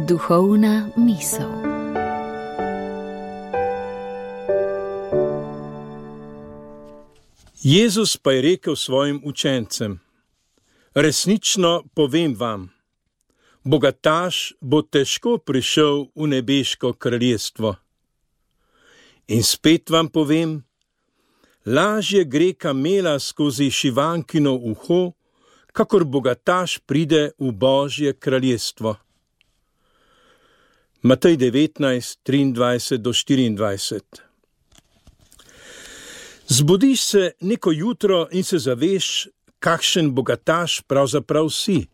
Duhovna misel. Jezus pa je rekel svojim učencem: resnično povem vam, bogataš bo težko prišel v nebeško kraljestvo. In spet vam povem, lažje gre kamela skozi šivankino uho, kakor bogataš pride v Božje kraljestvo. Matej 19, 23-24. Zbudiš se neko jutro in se zaveš, kakšen bogataš pravzaprav si.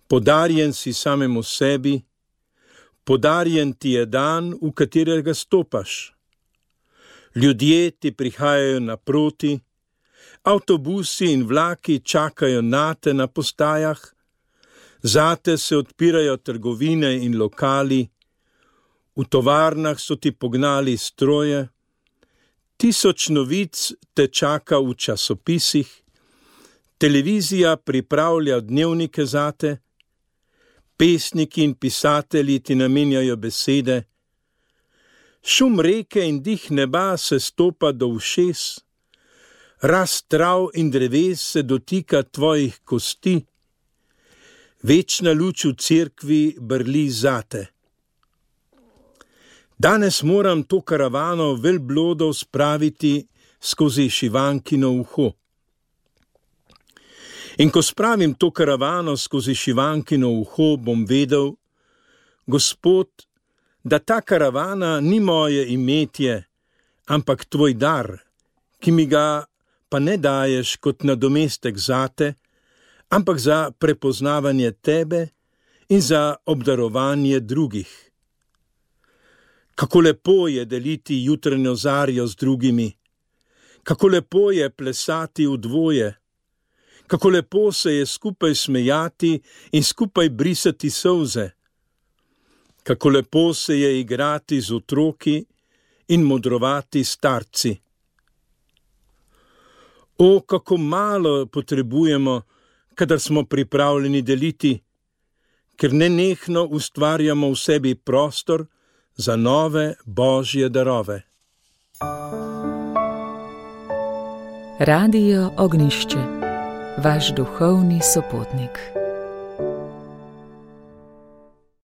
Podarjen si samemu sebi, podarjen ti je dan, v katerega stopaš. Ljudje ti prihajajo naproti, avtobusi in vlaki čakajo nate na postajah, zate se odpirajo trgovine in lokali, v tovarnah so ti pognali stroje, 1000 novic te čaka v časopisih, televizija pripravlja dnevnike zate, pesniki in pisatelji ti namenjajo besede, šum reke in dih neba se stopa do ušes, rast trav in dreves se dotika tvojih kosti, večna luč v cerkvi brli zate. Danes moram to karavano velblodov spraviti skozi šivankino uho. In ko spravim to karavano skozi šivankino uho, bom vedel, Gospod, da ta karavana ni moje imetje, ampak tvoj dar, ki mi ga pa ne daješ kot nadomestek zate, ampak za prepoznavanje tebe in za obdarovanje drugih. Kako lepo je deliti jutranjo zarjo z drugimi, kako lepo je plesati v dvoje, kako lepo se je skupaj smejati in skupaj brisati solze, kako lepo se je igrati z otroki in modrovati starci. O, kako malo potrebujemo, kadar smo pripravljeni deliti, ker nenehno ustvarjamo v sebi prostor za nove Božje darove. Radio Ognjišče, vaš duhovni sopotnik.